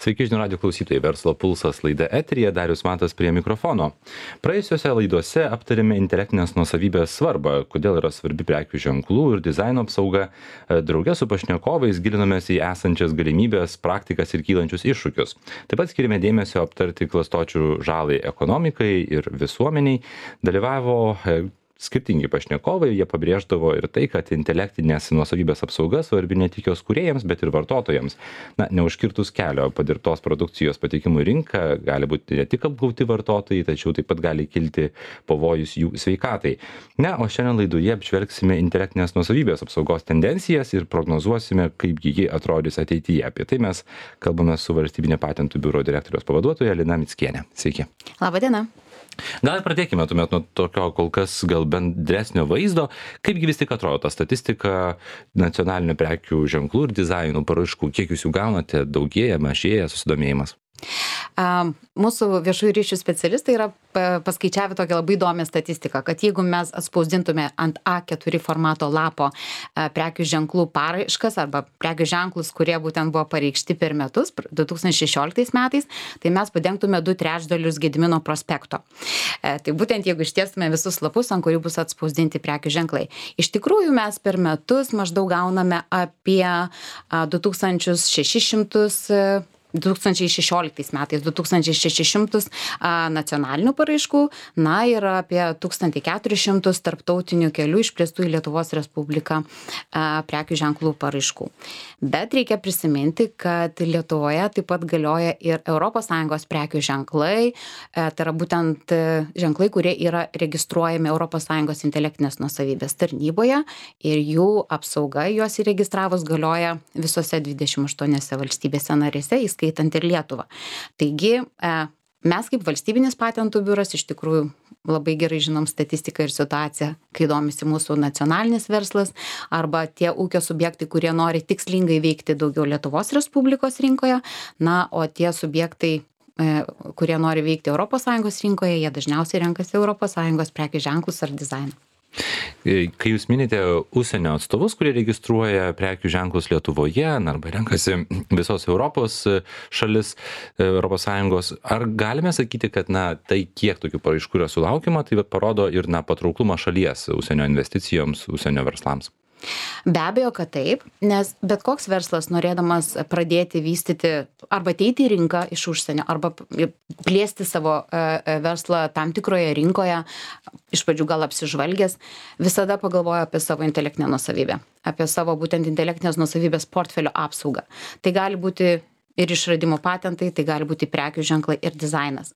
Sveiki žinių radijo klausytojai, Verslo pulsas laida eteryje, Darius Matas prie mikrofono. Praėjusiuose laiduose aptarėme intelektinės nuosavybės svarbą, kodėl yra svarbi prekių ženklų ir dizaino apsauga. Drauge su pašnekovais gilinomės į esančias galimybės, praktikas ir kylančius iššūkius. Taip pat skirime dėmesio aptarti klastočių žalai ekonomikai ir visuomeniai. Dalyvavo skirtingi pašnekovai, jie pabrėždavo ir tai, kad intelektinės nuosavybės apsauga svarbi ne tik jos kūrėjams, bet ir vartotojams. Neužkirtus kelio padirbtos produkcijos patekimų į rinką gali būti ne tik apgauti vartotojai, tačiau taip pat gali kilti pavojus jų sveikatai. O šiandien laidoje apžvelgsime intelektinės nuosavybės apsaugos tendencijas ir prognozuosime, kaipgi ji atrodys ateityje. Apie tai mes kalbame su Valstybinio patentų biuro direktoriaus pavaduotoja Lina Mickienė. Sveiki. Labą dieną. Gal pradėkime tuomet nuo tokio kol kas gal bendresnio vaizdo, kaipgi vis tik atrodo ta statistika nacionalinių prekių ženklų ir dizainų paraiškų, kiek jūs jų gaunate, daugėja, mažėja susidomėjimas? Mūsų viešųjų ryšių specialistai yra paskaičiavę tokią labai įdomią statistiką, kad jeigu mes atspausdintume ant A4 formato lapo prekių ženklų paraiškas arba prekių ženklus, kurie būtent buvo pareikšti per metus, 2016 metais, tai mes padengtume 2/3 Gedimino prospekto. Tai būtent jeigu ištiestume visus lapus, ant kurių bus atspausdinti prekių ženklai. Iš tikrųjų mes per metus maždaug gauname apie 2016 metais 2600 nacionalinių paraiškų, ir apie 1400 tarptautinių kelių išplėstų į Lietuvos Respubliką prekių ženklų paraiškų. Bet reikia prisiminti, kad Lietuvoje taip pat galioja ir ES prekių ženklai, tai yra būtent ženklai, kurie yra registruojami ES intelektinės nuosavybės tarnyboje ir jų apsauga juos įregistravus galioja visose 28 valstybėse narėse, įskaitant ir Lietuvą. Taigi, mes kaip valstybinis patentų biuras iš tikrųjų labai gerai žinom statistiką ir situaciją, kai domisi mūsų nacionalinis verslas arba tie ūkio subjektai, kurie nori tikslingai veikti daugiau Lietuvos Respublikos rinkoje, o tie subjektai, kurie nori veikti ES rinkoje, jie dažniausiai renkasi ES prekių ženklus ar dizainą. Kai jūs minite užsienio atstovus, kurie registruoja prekių ženklus Lietuvoje, arba renkasi visos Europos šalis, ES, ar galime sakyti, kad tai kiek tokių paraiškų yra sulaukiama, tai parodo ir patrauklumą šalies užsienio investicijoms, užsienio verslams? Be abejo, kad taip, nes bet koks verslas norėdamas pradėti vystyti arba ateiti į rinką iš užsienio, arba plėsti savo verslą tam tikroje rinkoje, iš pradžių gal apsižvalgęs, visada pagalvoja apie savo intelektinę nuosavybę, apie savo būtent intelektinės nuosavybės portfelio apsaugą. Tai gali būti ir išradimo patentai, tai gali būti prekių ženklai ir dizainas.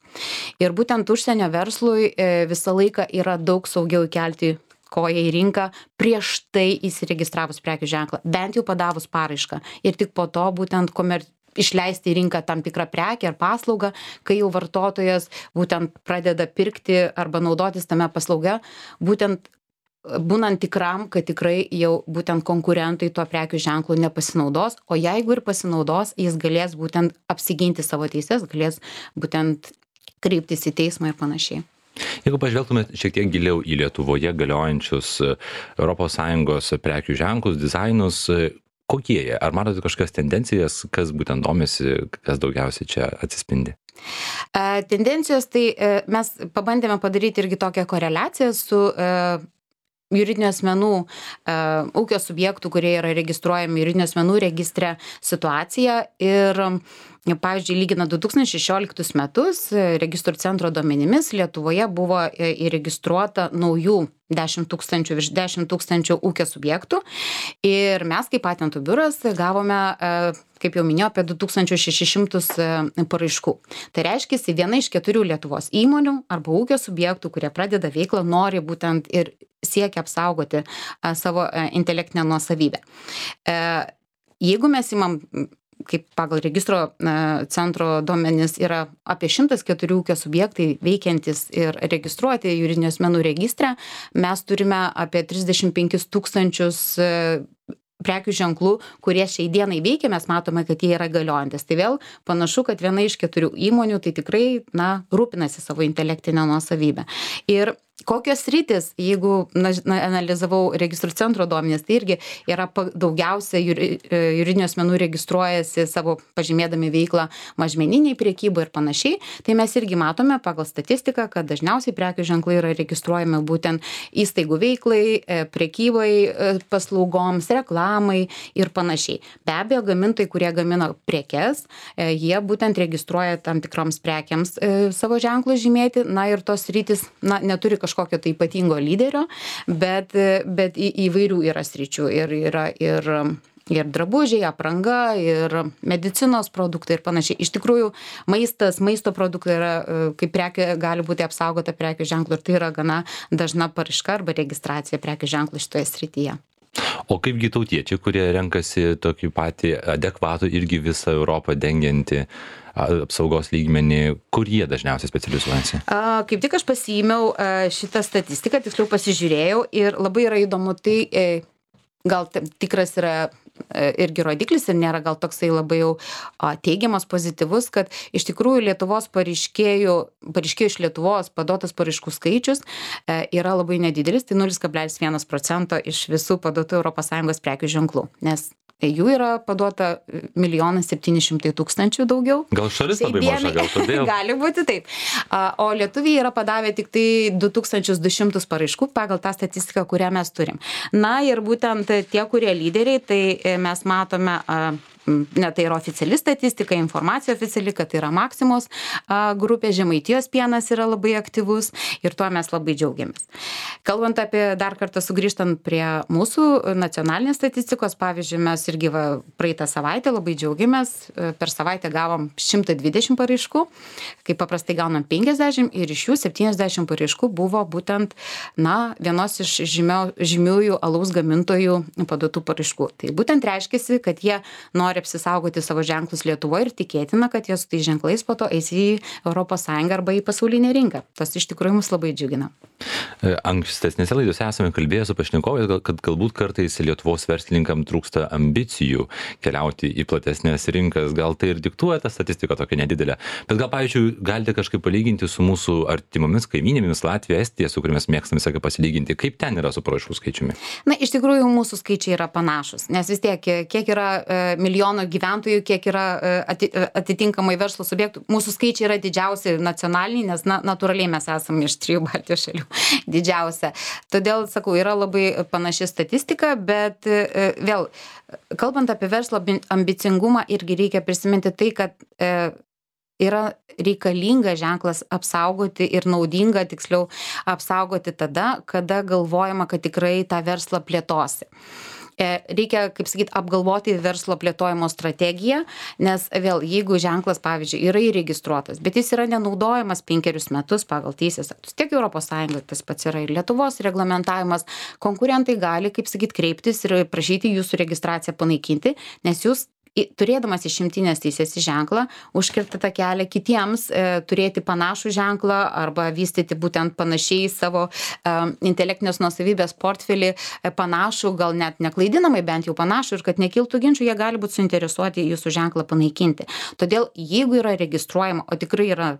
Ir būtent užsienio verslui visą laiką yra daug saugiau įkelti koją į rinką prieš tai įsiregistravus prekių ženklą, bent jau padavus paraišką. Ir tik po to būtent išleisti į rinką tam tikrą prekę ar paslaugą, kai jau vartotojas būtent pradeda pirkti arba naudotis tame paslauga, būtent būnant tikram, kad tikrai jau būtent konkurentai tuo prekių ženklu nepasinaudos, o jeigu ir pasinaudos, jis galės būtent apsiginti savo teises, galės būtent kreiptis į teismą ir panašiai. Jeigu pažvelgtumėt šiek tiek giliau į Lietuvoje galiojančius ES prekių ženklus, dizainus, kokie jie? Ar matote kažkokias tendencijas, kas būtent domisi, kas daugiausiai čia atsispindi? Tendencijos, tai mes pabandėme padaryti irgi tokią koreliaciją su juridinių asmenų, ūkio subjektų, kurie yra registruojami juridinių asmenų registre situaciją ir pavyzdžiui, lygina 2016 metus registrų centro duomenimis Lietuvoje buvo įregistruota naujų virš 10 tūkstančių ūkio subjektų ir mes kaip patentų biuras gavome, kaip jau minėjau, apie 2600 paraiškų. Tai reiškia, viena iš 4 Lietuvos įmonių arba ūkio subjektų, kurie pradeda veiklą, nori būtent ir siekia apsaugoti savo intelektinę nuosavybę. Jeigu mes imam, kaip pagal registro centro duomenis yra apie 104 ūkio subjektai veikiantis ir registruoti juridinių asmenų registre, mes turime apie 35 000 prekių ženklų, kurie šiai dienai veikia, mes matome, kad jie yra galiojantis. Tai vėl panašu, kad viena iš 4 įmonių tai tikrai rūpinasi savo intelektinę nuosavybę. Ir Kokios sritys, jeigu analizavau registrų centro duomenis, tai irgi yra daugiausia juridinių asmenų registruojasi savo pažymėdami veiklą mažmeniniai prekybai ir panašiai, tai mes irgi matome pagal statistiką, kad dažniausiai prekių ženklai yra registruojami būtent įstaigų veiklai, prekybai, paslaugoms, reklamai ir panašiai. Be abejo, gamintojai, kurie gamina prekes, jie būtent registruoja tam tikroms prekiams savo ženklus žymėti, na ir tos sritys, neturi kažkokio tai ypatingo lyderio, bet įvairių yra sričių ir yra ir drabužiai, apranga, ir medicinos produktai ir panašiai. Iš tikrųjų, maisto produktai yra, kaip prekė gali būti apsaugota prekių ženklu ir tai yra gana dažna paraiška arba registracija prekių ženklų šitoje srityje. O kaipgi tautiečiai, kurie renkasi tokį patį adekvatų irgi visą Europą dengiantį apsaugos lygmenį, kur jie dažniausiai specializuojasi? Kaip tik aš pasiėmiau šitą statistiką, tiksliau pasižiūrėjau ir labai yra įdomu, tai gal tikras yra irgi rodiklis ir nėra gal toksai labai jau teigiamas, pozityvus, kad iš tikrųjų Lietuvos pareiškėjų iš Lietuvos paduotas paraiškų skaičius yra labai nedidelis, tai 0,1% iš visų paduotų ES prekių ženklų, nes jų yra paduota 1 700 000 daugiau. Gal šalis labai maža, gal todėl? Gali būti taip. O lietuviai yra padavę tik tai 2200 paraiškų pagal tą statistiką, kurią mes turim. Na ir būtent tie, kurie lyderiai, tai mes matome, tai yra oficiali statistika, informacija oficiali, kad tai yra Maximos grupė, Žemaitijos pienas yra labai aktyvus ir tuo mes labai džiaugiamės. Kalbant apie, dar kartą sugrįžtant prie mūsų nacionalinės statistikos, pavyzdžiui, mes irgi praeitą savaitę labai džiaugiamės, per savaitę gavom 120 paraiškų, kaip paprastai gaunam 50 ir iš jų 70 paraiškų buvo būtent, vienos iš žymiųjų alaus gamintojų paduotų paraiškų. Tai būtent reiškiasi, kad jie nori apsisaugoti savo ženklus Lietuvoje ir tikėtina, kad jie su tai ženklais po to eis į ES arba į pasaulinę rinką. Tas iš tikrųjų mus labai džiugina. Ankstesnėse laidose esame kalbėję su pašnekovais, kad galbūt kartais Lietuvos verslininkam trūksta ambicijų keliauti į platesnės rinkas. Gal tai ir diktuoja tą statistiką tokia nedidelė. Bet gal, pavyzdžiui, galite kažkaip palyginti su mūsų artimomis kaimynėmis Latvija, Estija, su kuriamis mėgstame visą pasilyginti. Kaip ten yra su paraiškų skaičiumi? Iš tikrųjų, mūsų skaičiai yra panašus, nes vis tiek, kiek yra milijono gyventojų, kiek yra atitinkamai verslo subjektų. Mūsų skaičiai yra didžiausi nacionaliniai, nes natūraliai mes esame iš 3 Baltijos šalių didžiausia. Todėl, sakau, yra labai panaši statistika, bet vėl, kalbant apie verslo ambicingumą, irgi reikia prisiminti tai, kad yra reikalinga ženklas apsaugoti ir naudinga, tiksliau, apsaugoti tada, kada galvojama, kad tikrai tą verslą plėtosi. Reikia, kaip sakyt, apgalvoti verslo plėtojimo strategiją, nes vėl, jeigu ženklas, pavyzdžiui, yra įregistruotas, bet jis yra nenaudojamas 5 metus pagal teisės aktus, tiek ES, tas pats yra ir Lietuvos reglamentavimas, konkurentai gali, kaip sakyt, kreiptis ir prašyti jūsų registraciją panaikinti, nes jūs turėdamas išimtinės teisės ženklą, užkirtate kelią kitiems turėti panašų ženklą arba vystyti būtent panašiai savo intelektinės nuosavybės portfelį panašų, gal net neklaidinamai, bent jau panašų, ir kad nekiltų ginčių, jie gali būti suinteresuoti jūsų ženklą panaikinti. Todėl, jeigu yra registruojama, o tikrai yra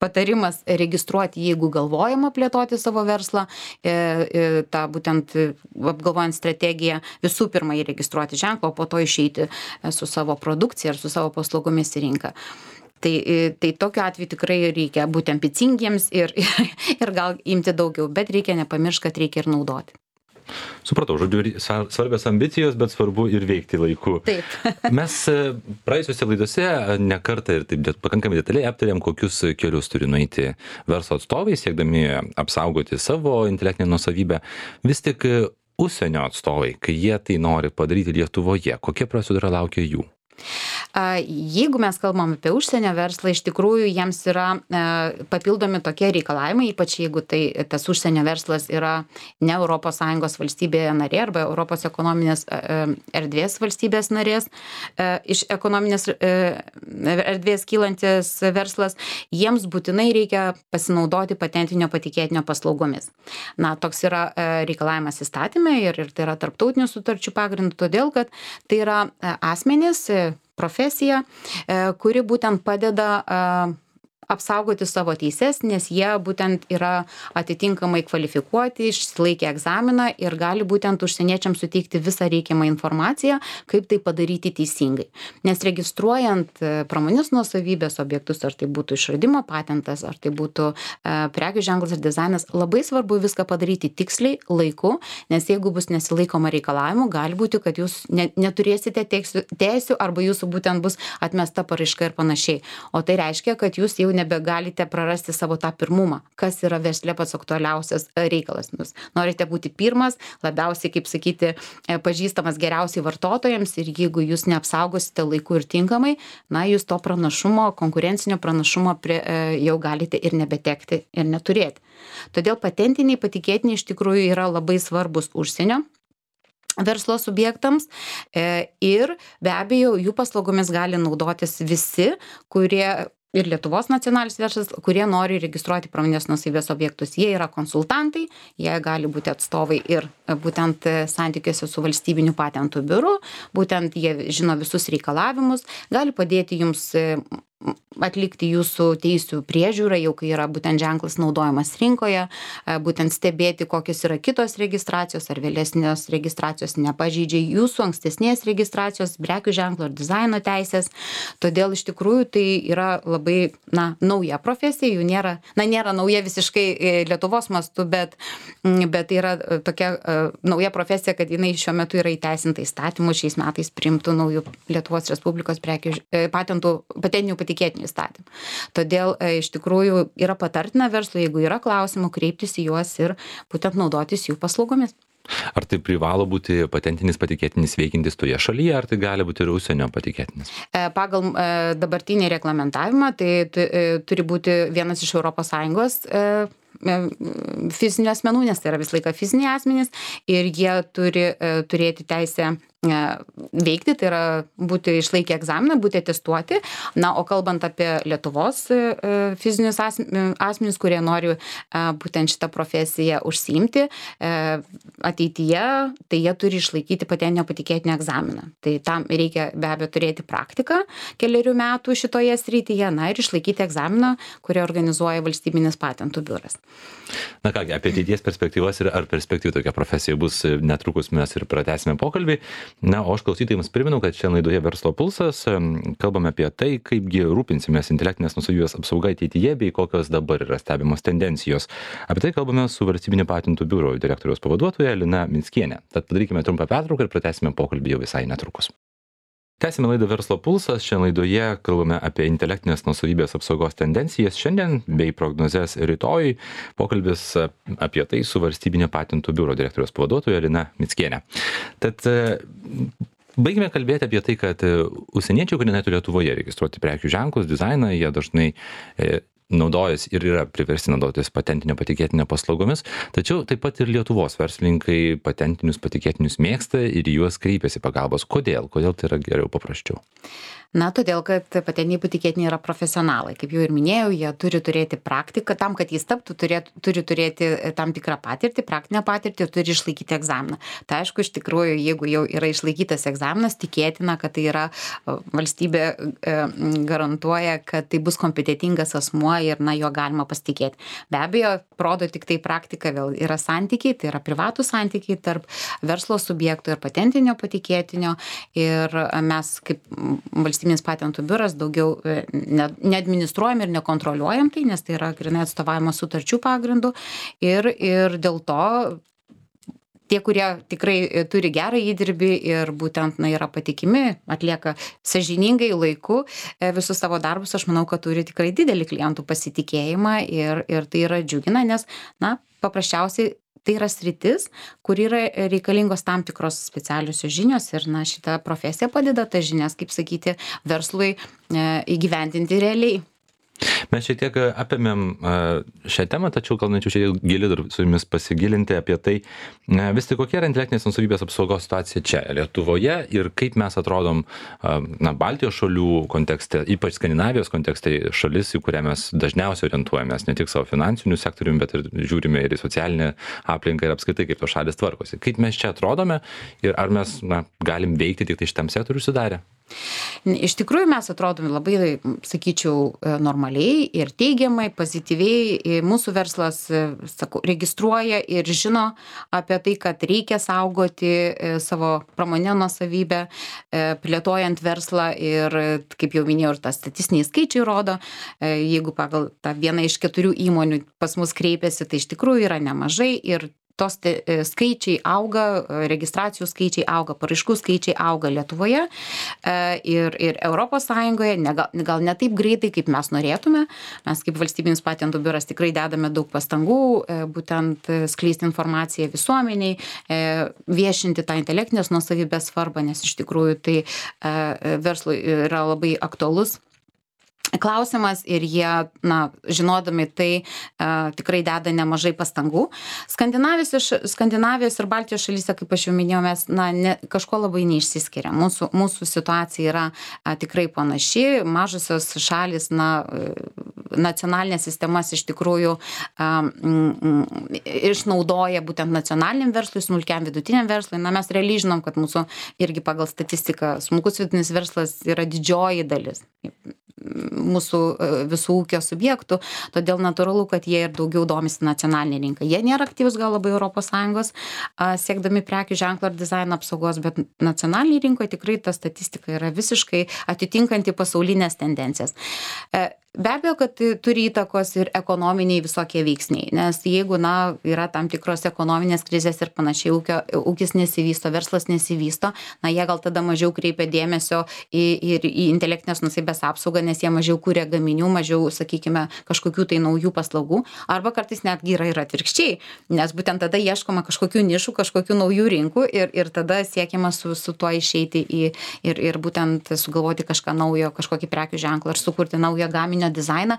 patarimas registruoti, jeigu galvojama plėtoti savo verslą, tą būtent apgalvojant strategiją, visų pirma įregistruoti ženklą, o po to išeiti su savo produkcija ir su savo paslaugomis į rinką. Tai tokiu atveju tikrai reikia būti ambicingiems ir gal imti daugiau, bet reikia nepamiršti, kad reikia ir naudoti. Supratau, žodžiu, svarbios ambicijos, bet svarbu ir veikti laiku. Taip. Mes praėjusiuose laidose ne kartą ir taip pakankamai detaliai aptarėm, kokius kelius turi nueiti verslo atstovai, siekdami apsaugoti savo intelektinę nuosavybę. Vis tik užsienio atstovai, kai jie tai nori padaryti Lietuvoje, kokia procedūra laukia jų? Jeigu mes kalbam apie užsienio verslą, iš tikrųjų jiems yra papildomi tokie reikalavimai, ypač jeigu tas užsienio verslas yra ne ES valstybėje narė arba Europos ekonominės erdvės valstybės narės, iš ekonominės erdvės kylantis verslas, jiems būtinai reikia pasinaudoti patentinio patikėtinio paslaugomis. Toks yra reikalavimas įstatyme ir tai yra tarptautinių sutarčių pagrindų, todėl kad tai yra asmenys, profesija, kuri būtent padeda apsaugoti savo teises, nes jie būtent yra atitinkamai kvalifikuoti, išsilaikę egzaminą ir gali būtent užsieniečiams suteikti visą reikiamą informaciją, kaip tai padaryti teisingai. Nes registruojant pramonės nuosavybės objektus, ar tai būtų išradimo patentas, ar tai būtų prekių ženklas ar dizainas, labai svarbu viską padaryti tiksliai, laiku, nes jeigu bus nesilaikoma reikalavimų, gali būti, kad jūs neturėsite teisių arba jūsų būtent bus atmesta paraiška ir panašiai. O tai reiškia, kad jūs jau nebegalite prarasti savo tą pirmumą, kas yra versle pats aktualiausias reikalas. Jūs norite būti pirmas, labiausiai, kaip sakyti, pažįstamas geriausiai vartotojams ir jeigu jūs neapsaugosite laiku ir tinkamai, na, jūs to pranašumo, konkurencinio pranašumo jau galite ir nebetekti ir neturėti. Todėl patentiniai patikėtiniai iš tikrųjų yra labai svarbus užsienio verslo subjektams ir be abejo jų paslaugomis gali naudotis visi, kurie ir Lietuvos nacionalinis verslas, kurie nori registruoti pramonės nuosavybės objektus. Jie yra konsultantai, jie gali būti atstovai ir būtent santykiuose su valstybiniu patentų biuru, būtent jie žino visus reikalavimus, gali padėti jums atlikti jūsų teisių priežiūrą, jau kai yra būtent ženklas naudojamas rinkoje, būtent stebėti, kokios yra kitos registracijos ar vėlesnės registracijos nepažeidžia jūsų ankstesnės registracijos, prekių ženklo ar dizaino teisės. Todėl iš tikrųjų tai yra labai nauja profesija, jų nėra nauja visiškai Lietuvos mastu, bet tai yra tokia nauja profesija, kad jinai šiuo metu yra įteisinta įstatymu šiais metais priimtų naujų Lietuvos Respublikos patentinių patikėtinių įstatymų. Todėl iš tikrųjų yra patartina verslui, jeigu yra klausimų, kreiptis į juos ir būtent naudotis jų paslaugomis. Ar tai privalo būti patentinis patikėtinis veikiantis toje šalyje, ar tai gali būti ir užsienio patikėtinis? Pagal dabartinį reglamentavimą tai turi būti vienas iš ES fizinių asmenų, nes tai yra vis laiką fiziniai asmenys ir jie turi turėti teisę veikti, tai yra būti išlaikę egzaminą, būti atestuoti. Na, o kalbant apie Lietuvos fizinius asmenys, kurie nori būtent šitą profesiją užsiimti ateityje, tai jie turi išlaikyti patentinio patikėtinio egzaminą. Tai tam reikia be abejo turėti praktiką 4 metų šitoje srityje, na ir išlaikyti egzaminą, kurį organizuoja Valstybinis patentų biuras. Na kągi, apie ateities perspektyvas ir ar perspektyvų tokia profesija bus netrukus mes ir pratęsime pokalbį. Na, o aš klausytojams primenu, kad šiandien laidoje Verslo pulsas kalbame apie tai, kaipgi rūpinsimės intelektinės nuosavybės apsauga ateityje bei kokios dabar yra stebimos tendencijos. Apie tai kalbame su Valstybinio patentų biuro direktoriaus pavaduotoja Lina Mickienė. Tad padarykime trumpą pertrauką ir pratęsime pokalbį jau visai netrukus. Tęsime laidą Verslo pulsas. Šiandien laidoje kalbame apie intelektinės nuosavybės apsaugos tendencijas šiandien bei prognozes rytoj. Pokalbis apie tai su Valstybinio patentų biuro direktoriaus pavaduotoja Lina Mickienė. Tad baigime kalbėti apie tai, kad užsieniečiai, kurie neturi Lietuvoje registruoti prekių ženklus, dizainą, jie dažnai naudojas ir yra priversti naudotis patentinio patikėtinio paslaugomis, tačiau taip pat ir Lietuvos verslininkai patentinius patikėtinius mėgsta ir juos kreipiasi pagalbos. Kodėl? Kodėl tai yra geriau, paprasčiau? Na, todėl, kad patentiniai patikėtiniai yra profesionalai. Kaip jau ir minėjau, jie turi turėti praktiką, tam, kad jis taptų, turi turėti tam tikrą patirtį, praktinę patirtį ir turi išlaikyti egzaminą. Tai aišku, iš tikrųjų, jeigu jau yra išlaikytas egzaminas, tikėtina, kad tai yra valstybė garantuoja, kad tai bus kompetentingas asmuo ir, juo galima pasitikėti. Be abejo, rodo tik tai praktika, vėl yra santykiai, tai yra privatų santykiai tarp verslo subjektų ir patentinio patikėtinio ir mes kaip Valstybinis patentų biuras daugiau neadministruojam ir nekontroliuojam tai, nes tai yra grynai atstovavimo sutarčių pagrindų ir dėl to tie, kurie tikrai turi gerą įdirbį ir būtent yra patikimi, atlieka sąžiningai laiku visus savo darbus, aš manau, kad turi tikrai didelį klientų pasitikėjimą ir tai yra džiugina, nes paprasčiausiai tai yra sritis, kur yra reikalingos tam tikros specialiusios žinios ir šita profesija padeda tas žinias, kaip sakyti, verslui įgyvendinti realiai. Mes šiek tiek apėmėm šią temą, tačiau gal norėčiau šiek tiek giliau dar su jumis pasigilinti apie tai, vis tik kokia yra intelektinės nuosavybės apsaugos situacija čia Lietuvoje ir kaip mes atrodom Baltijos šalių kontekste, ypač Skandinavijos kontekste, šalis, į kurią mes dažniausiai orientuojamės ne tik savo finansinių sektoriumi, bet ir žiūrime ir į socialinę aplinką ir apskritai, kaip tos šalis tvarkosi. Kaip mes čia atrodome ir ar mes galim veikti tik tai šitam sektoriui sudarę? Iš tikrųjų mes atrodome labai, sakyčiau, normaliai ir teigiamai, pozityviai. Mūsų verslas, sakau, registruoja ir žino apie tai, kad reikia saugoti savo pramoninę nuosavybę, plėtojant verslą ir, kaip jau minėjau, ir tas statistiniai skaičiai rodo, jeigu pagal tą vieną iš 4 įmonių pas mus kreipiasi, tai iš tikrųjų yra nemažai ir tos skaičiai auga, registracijų skaičiai auga, paraiškų skaičiai auga Lietuvoje ir Europos Sąjungoje, gal ne taip greitai, kaip mes norėtume. Mes kaip valstybinis patentų biuras tikrai dedame daug pastangų, būtent skleisti informaciją visuomeniai, viešinti tą intelektinės nuosavybės svarbą, nes iš tikrųjų tai verslui yra labai aktualus klausimas ir jie, žinodami tai, tikrai deda nemažai pastangų. Skandinavijos ir Baltijos šalyse, kaip aš jau minėjau, mes kažko labai neišsiskiria. Mūsų situacija yra tikrai panaši. Mažosios šalis, nacionalinės sistemas iš tikrųjų išnaudoja būtent nacionaliniam verslui, smulkiam vidutiniam verslui. Mes realiai žinom, kad mūsų irgi pagal statistiką smulkus vidutinis verslas yra didžioji dalis mūsų visų ūkio subjektų, todėl natūralu, kad jie ir daugiau domisi nacionalinė rinka. Jie nėra aktyvus gal labai ES, siekdami prekių ženklo ir dizaino apsaugos, bet nacionalinėje rinkoje tikrai ta statistika yra visiškai atitinkanti pasaulinės tendencijas. Be abejo, kad turi įtakos ir ekonominiai visokie veiksniai, nes jeigu, yra tam tikros ekonominės krizės ir panašiai, ūkis nesivysto, verslas nesivysto, jie gal tada mažiau kreipia dėmesio į intelektinės nuosavybės apsaugą, nes jie mažiau kuria gaminių, mažiau, sakykime, kažkokių tai naujų paslaugų, arba kartais netgi yra ir atvirkščiai, nes būtent tada ieškoma kažkokių nišų, kažkokių naujų rinkų ir tada siekiama su tuo išeiti ir būtent sugalvoti kažką naujo, kažkokį prekių ženklą ir sukurti naują gaminį dizainą,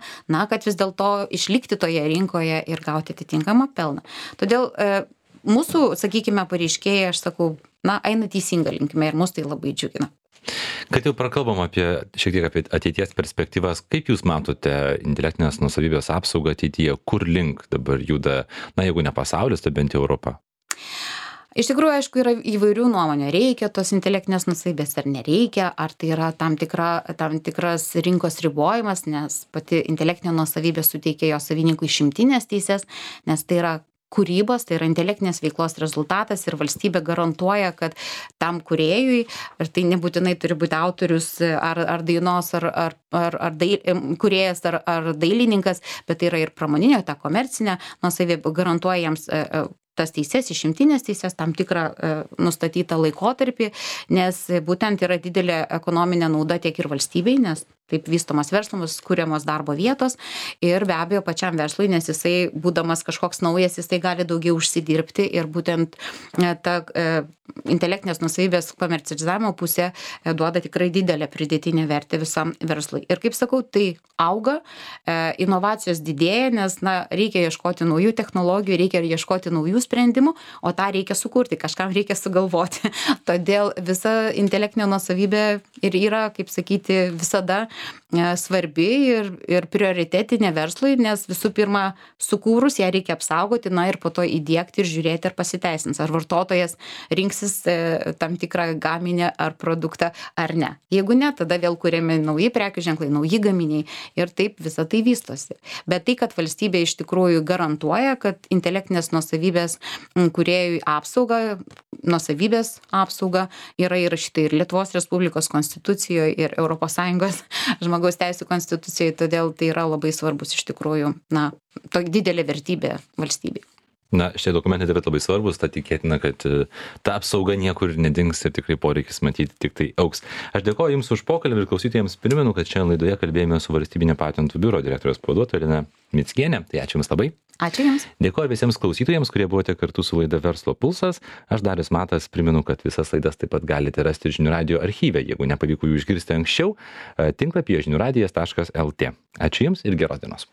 kad vis dėlto išlikti toje rinkoje ir gauti atitinkamą pelną. Todėl mūsų, sakykime, pareiškėjai, aš sakau, eina teisinga linkme ir mus tai labai džiugina. Kad jau prakalbam šiek tiek apie ateities perspektyvas, kaip jūs matote intelektinės nuosavybės apsaugą ateityje, kur link dabar juda, jeigu ne pasaulis, tai bent jau Europa? Iš tikrųjų, aišku, yra įvairių nuomonių. Reikia tos intelektinės nuosavybės ar nereikia, ar tai yra tam tikras rinkos ribojimas, nes pati intelektinė nuosavybė suteikia jo savininkui išimtinės teisės, nes tai yra kūrybos, tai yra intelektinės veiklos rezultatas ir valstybė garantuoja, kad tam kūrėjui, ir tai nebūtinai turi būti autorius ar dainos, ar kūrėjas, ar dailininkas, bet tai yra ir pramoninė, ta komercinė nuosavybė garantuoja jiems tas teises, išimtinės teises, tam tikrą nustatytą laikotarpį, nes būtent yra didelė ekonominė nauda tiek ir valstybei, nes taip vystomas verslas, kuriamos darbo vietos ir be abejo pačiam verslui, nes jisai, būdamas kažkoks naujas, jisai gali daugiau užsidirbti ir būtent ta intelektinės nuosavybės komercializavimo pusė duoda tikrai didelę pridėtinę vertę visam verslui. Ir kaip sakau, tai auga, inovacijos didėja, nes reikia ieškoti naujų technologijų, reikia ieškoti naujų sprendimų, o tą reikia sukurti, kažkam reikia sugalvoti. Todėl visa intelektinė nuosavybė ir yra, kaip sakyti, visada svarbi ir prioritetinė verslui, nes visų pirma, sukūrus ją reikia apsaugoti, ir po to įdiegti ir žiūrėti, ar pasiteisins, ar vartotojas rinksis tam tikrą gaminį ar produktą ar ne. Jeigu ne, tada vėl kuriami nauji prekių ženklai, nauji gaminiai ir taip visą tai vystosi. Bet tai, kad valstybė iš tikrųjų garantuoja, kad intelektinės nuosavybės kūrėjui apsauga, nuosavybės apsauga yra įrašyta ir Lietuvos Respublikos konstitucijoje, ir ES žmogaus teisų konstitucijoje, todėl tai yra labai svarbus iš tikrųjų, didelė vertybė valstybei. Šitie dokumentai taip pat labai svarbus, tad tikėtina, kad ta apsauga niekur nedings ir tikrai poreikis matyti tik tai augs. Aš dėkoju Jums už pokalbį ir klausytojams primenu, kad šiandien laidoje kalbėjome su Valstybinio patentų biuro direktoriaus pavaduotoja Lina Mickienė. Tai ačiū Jums labai. Ačiū Jums. Dėkoju visiems klausytojams, kurie buvote kartu su laida Verslo pulsas. Aš Darius Matas primenu, kad visas laidas taip pat galite rasti Žinių radijo archyve, jeigu nepavyko jų išgirsti anksčiau, tinklapyje žiniųradijas.lt. Ačiū Jums ir geros dienos.